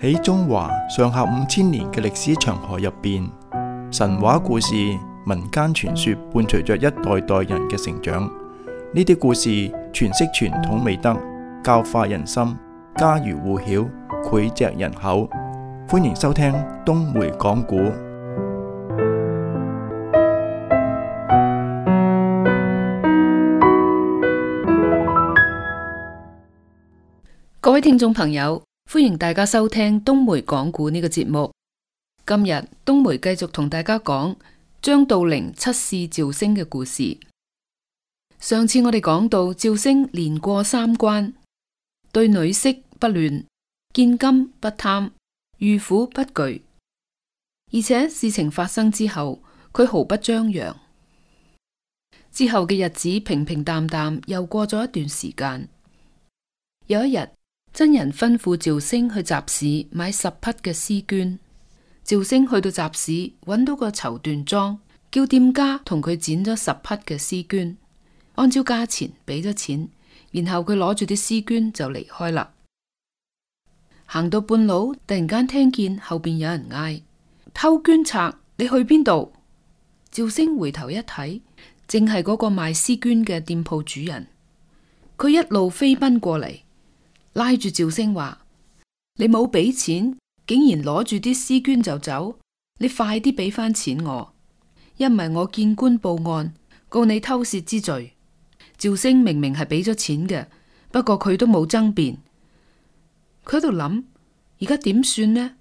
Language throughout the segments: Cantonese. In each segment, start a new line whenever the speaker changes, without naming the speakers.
喺中華上下5000年嘅歷史長河入邊，神話故事、民間傳說伴隨着一代代人嘅成長。呢啲故事詮釋傳統美德，教化人心，家喻戶曉，膾炙人口。歡迎收聽東梅講古。
各位聽眾朋友，歡迎大家收聽東梅講古呢個節目。今日東梅繼續同大家講張道陵七試趙升嘅故事。上次我哋講到趙升連過3關，對女色不亂，見金不貪，遇苦不懼，而且事情發生之後，佢毫不張揚。之後嘅日子平平淡淡，又過咗一段時間。有一日，真人吩咐趙升去集市買10匹嘅絲絹。趙升去到集市，揾到個綢緞莊，叫店家同佢剪咗10匹嘅絲絹，按照價錢俾咗錢，然後佢攞住啲絲絹就離開啦。行到半路，突然間聽見後邊有人嗌：偷絹賊，你去邊度？趙升回頭一睇，正係嗰個賣絲絹嘅店鋪主人。佢一路飛奔過嚟，拉住趙升話：你冇俾錢，竟然攞住啲絲絹就走，你快啲俾翻錢我，一唔係我見官報案，告你偷竊之罪。趙升明明係俾咗錢嘅，不過佢都冇爭辯。佢喺度諗，而家點算呢？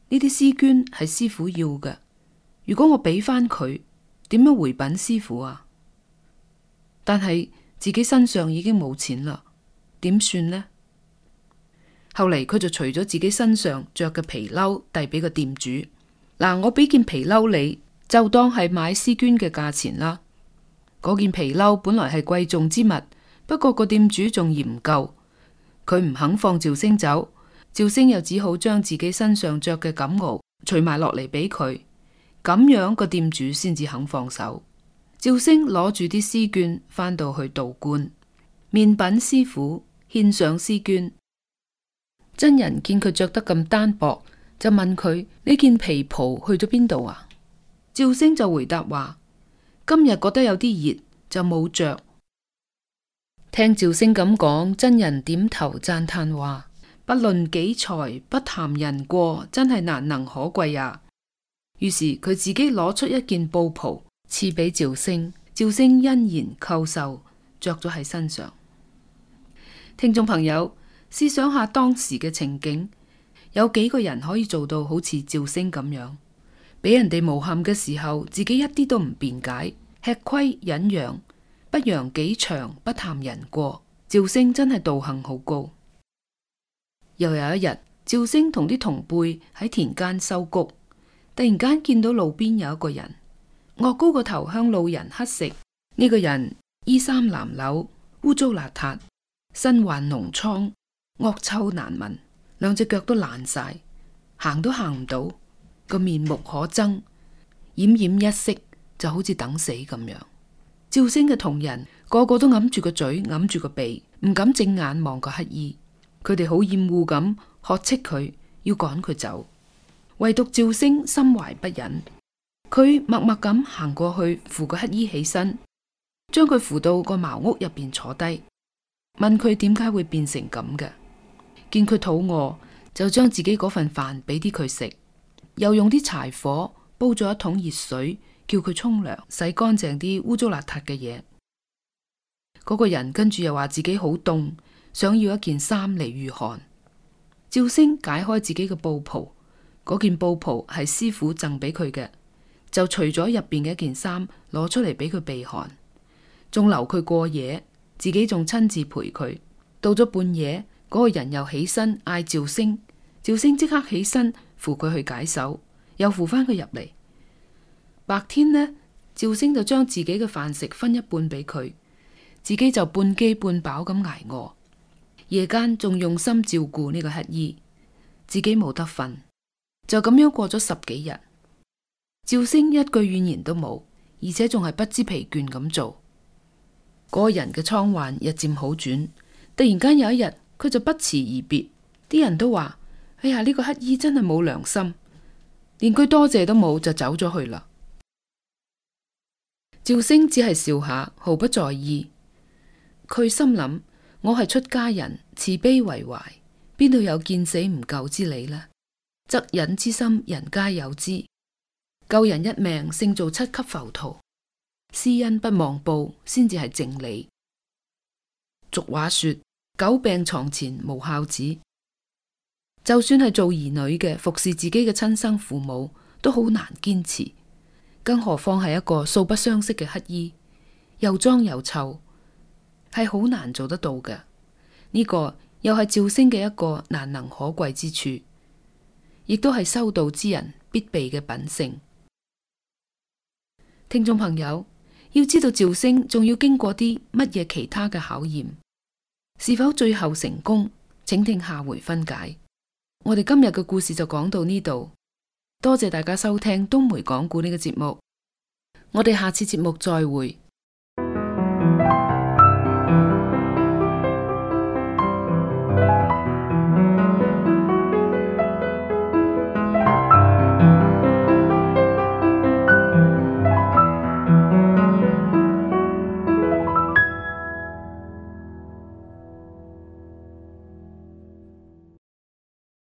呢啲絲絹係師傅要嘅，如果我俾翻佢，點樣回稟師傅啊？但係自己身上已經冇錢啦，點算呢？後嚟佢就除咗自己身上着嘅皮褸，遞俾個店主。嗱，我俾件皮褸你，就當係買絲絹嘅價錢啦。嗰件皮褸本來係貴重之物，不過個店主仲嫌唔夠，佢唔肯放趙升走。趙升又只好將自己身上着嘅錦襖除埋落嚟俾佢，咁樣個店主先至肯放手。趙升攞住啲絲絹返到去道觀，面稟師傅，獻上絲絹。真人見佢着得咁單薄，就問佢：呢件皮袍去咗邊度啊？趙升就回答話：今日覺得有啲熱，就冇着。聽趙升咁講，真人點頭讚嘆話：不論己才，不談人過，真係難能可貴呀。於是佢自己攞出一件布袍賜俾趙升，趙升欣然叩受，着咗喺身上。聽眾朋友，試想下當時嘅情景，有幾個人可以做到好似趙升咁樣，俾人哋誣陷嘅時候，自己一啲都唔辯解，吃虧忍讓，不揚己長，不談人過。趙升真係道行好高。又有一日，趙升同啲同輩喺田間收谷，突然間見到路邊有一個人，岳高個頭向路人乞食。呢個人衣衫襤褸，污糟邋遢，身患膿瘡，惡臭難聞，2隻腳都爛晒，行都行唔到，個面目可憎，奄奄一息，就好似等死咁樣。趙升嘅同人個個都揞住個嘴，揞住個鼻，唔敢正眼望個乞衣。佢哋好厭惡咁呵斥佢，要趕佢走。唯獨趙升心懷不忍，佢默默咁行過去扶個乞衣起身，將佢扶到個茅屋入邊坐低，問佢點解會變成咁嘅。見佢肚餓，就將自己嗰份飯俾啲佢食，又用啲柴火煲咗一桶熱水，叫佢沖涼，洗乾淨啲污糟邋遢嘅嘢。嗰個人跟住又話自己好凍，想要一件衫嚟御寒。趙升解開自己嘅布袍，嗰件布袍係師傅贈俾佢嘅，就除咗入邊嘅一件衫攞出嚟俾佢避寒，仲留佢過夜，自己仲親自陪佢。到咗半夜，嗰個人又起身嗌趙升，趙升即刻起身扶佢去解手，又扶翻佢入嚟。白天呢，趙升就將自己嘅飯食分一半俾佢，自己就半飢半飽咁挨餓。夜間仲用心照顧呢個乞衣，自己冇得瞓，就咁樣過咗10幾日。趙升一句怨言都冇，而且仲係不知疲倦咁做。嗰個人嘅瘡患日漸好轉，突然間有一日，佢就不辭而別。啲人都話哎呀，呢個乞衣真係冇良心，連句多謝都冇就走咗去啦。趙星只係笑下，毫不在意。佢心諗：我係出家人，慈悲為懷，邊度有見死唔救之理呢？惻隱之心，人皆有之。救人一命，勝造7級浮屠。施恩不忘報，先至係正理。俗話說：久病床前無孝子。就算係做兒女嘅，服侍自己嘅親生父母，都好難堅持，更何況係一個素不相識嘅乞衣，又髒又臭，係好難做得到嘅。呢個又係趙星嘅一個難能可貴之處，亦都係修道之人必備嘅品性。聽眾朋友，要知道趙星仲要經過啲乜嘢其他嘅考驗，是否最後成功，請聽下回分解。我哋今日嘅故事就講到呢度，多謝大家收聽冬梅講故呢個節目，我哋下次節目再會。